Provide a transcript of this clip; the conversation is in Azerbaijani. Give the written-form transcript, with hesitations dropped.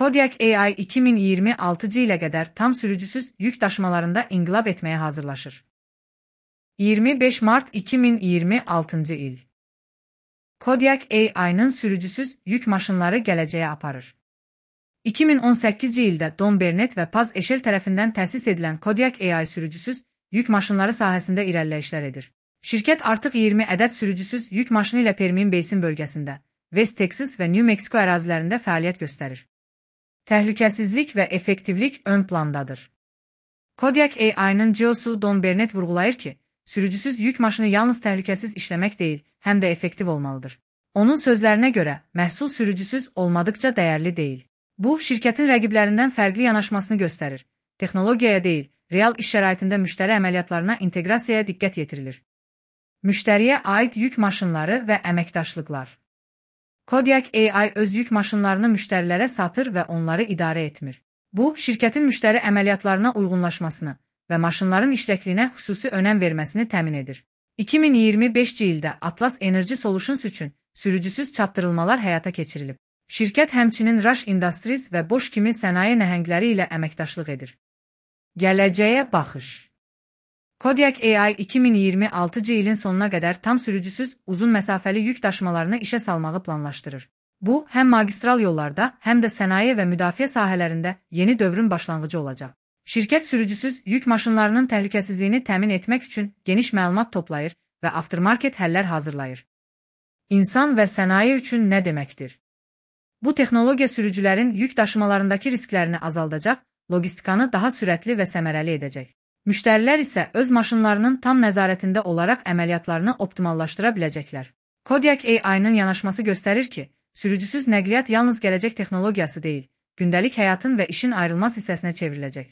Kodiak AI 2026 ilə qədər tam sürücüsüz yük daşımalarında inqilab etməyə hazırlaşır. 25 mart 2026 il. Kodiak AI-nın sürücüsüz yük maşınları gələcəyə aparır. 2018-ci ildə Don Burnett və Paz Eşel tərəfindən təsis edilən Kodiak AI sürücüsüz yük maşınları sahəsində irəliləyişlər edir. Şirkət artıq 20 ədəd sürücüsüz yük maşını ilə Permian Basin bölgəsində, West Texas və New Mexico ərazilərində fəaliyyət göstərir. Təhlükəsizlik və effektivlik ön plandadır. Kodiak AI-nın CEO-su Don Burnett vurğulayır ki, sürücüsüz yük maşını yalnız təhlükəsiz işləmək deyil, həm də effektiv olmalıdır. Onun sözlərinə görə, məhsul sürücüsüz olmadıqca dəyərli deyil. Bu, şirkətin rəqiblərindən fərqli yanaşmasını göstərir. Texnologiyaya deyil, real iş şəraitində müştəri əməliyyatlarına inteqrasiyaya diqqət yetirilir. Müştəriyə aid yük maşınları və əməkdaşlıqlar. Kodiak AI öz yük maşınlarını müştərilərə satır və onları idarə etmir. Bu, şirkətin müştəri əməliyyatlarına uyğunlaşmasını və maşınların işləkliyinə xüsusi önəm verməsini təmin edir. 2025-ci ildə Atlas Energy Solutions üçün sürücüsüz çatdırılmalar həyata keçirilib. Şirkət həmçinin Rush Industries və Bosch kimi sənaye nəhəngləri ilə əməkdaşlıq edir. Gələcəyə baxış. Kodiak AI 2026-cı ilin sonuna qədər tam sürücüsüz uzun məsafəli yük daşımalarını işə salmağı planlaşdırır. Bu, həm magistral yollarda, həm də sənaye və müdafiə sahələrində yeni dövrün başlanğıcı olacaq. Şirkət sürücüsüz yük maşınlarının təhlükəsizliyini təmin etmək üçün geniş məlumat toplayır və aftermarket həllər hazırlayır. İnsan və sənaye üçün nə deməkdir? Bu texnologiya sürücülərin yük daşımalarındakı risklərini azaldacaq, logistikanı daha sürətli və səmərəli edəcək. Müştərilər isə öz maşınlarının tam nəzarətində olaraq əməliyyatlarını optimallaşdıra biləcəklər. Kodiak AI-nın yanaşması göstərir ki, sürücüsüz nəqliyyat yalnız gələcək texnologiyası deyil, gündəlik həyatın və işin ayrılmaz hissəsinə çevriləcək.